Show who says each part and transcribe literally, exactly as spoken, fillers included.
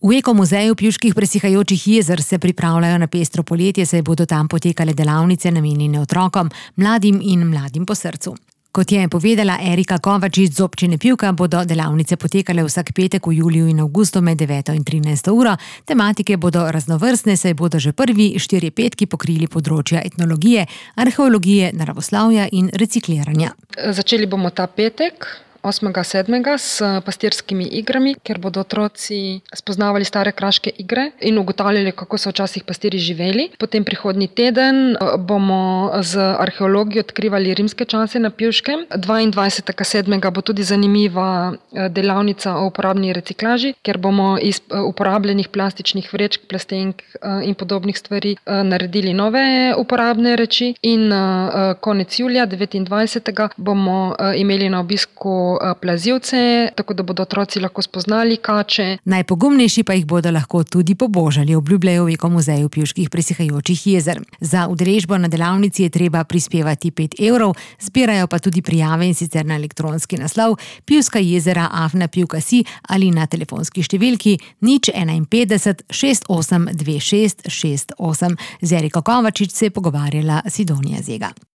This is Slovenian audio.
Speaker 1: V Ekomuzeju Pivških presihajočih jezer se pripravljajo na pestro poletje, saj bodo tam potekale delavnice namenjene otrokom, mladim in mladim po srcu. Kot je povedala Erika Kovačič z občine Pivka, bodo delavnice potekale vsak petek v juliju in avgustu med deveto in trinajsto uro. Tematike bodo raznovrstne, saj bodo že prvi štirje petki pokrili področja etnologije, arheologije, naravoslovja in recikliranja.
Speaker 2: Začeli bomo ta petek, osmega sedmega s pastirskimi igrami, kjer bodo otroci spoznavali stare kraške igre in ugotavljali, kako so včasih pastirji živeli. Potem prihodnji teden bomo z arheologijo odkrivali rimske čase na Pivškem. dvaindvajsetega sedmega bo tudi zanimiva delavnica o uporabni reciklaži, kjer bomo iz uporabljenih plastičnih vrečk, plastenk in podobnih stvari naredili nove uporabne reči. In konec julija, devetindvajsetega bomo imeli na obisku plazivce, tako da bodo otroci lahko spoznali kače.
Speaker 1: Najpogumnejši pa jih bodo lahko tudi pobožali, obljubljajo v Ekomuzeju Pivških presihajočih jezer. Za udeležbo na delavnici je treba prispevati pet evrov, zbirajo pa tudi prijave, in sicer na elektronski naslov pivska jezera afna pivka si ali na telefonski številki nič enainpetdeset šest osem dve šest šest osem. Z Eriko Kovačič se je pogovarjala Sidonija Zega.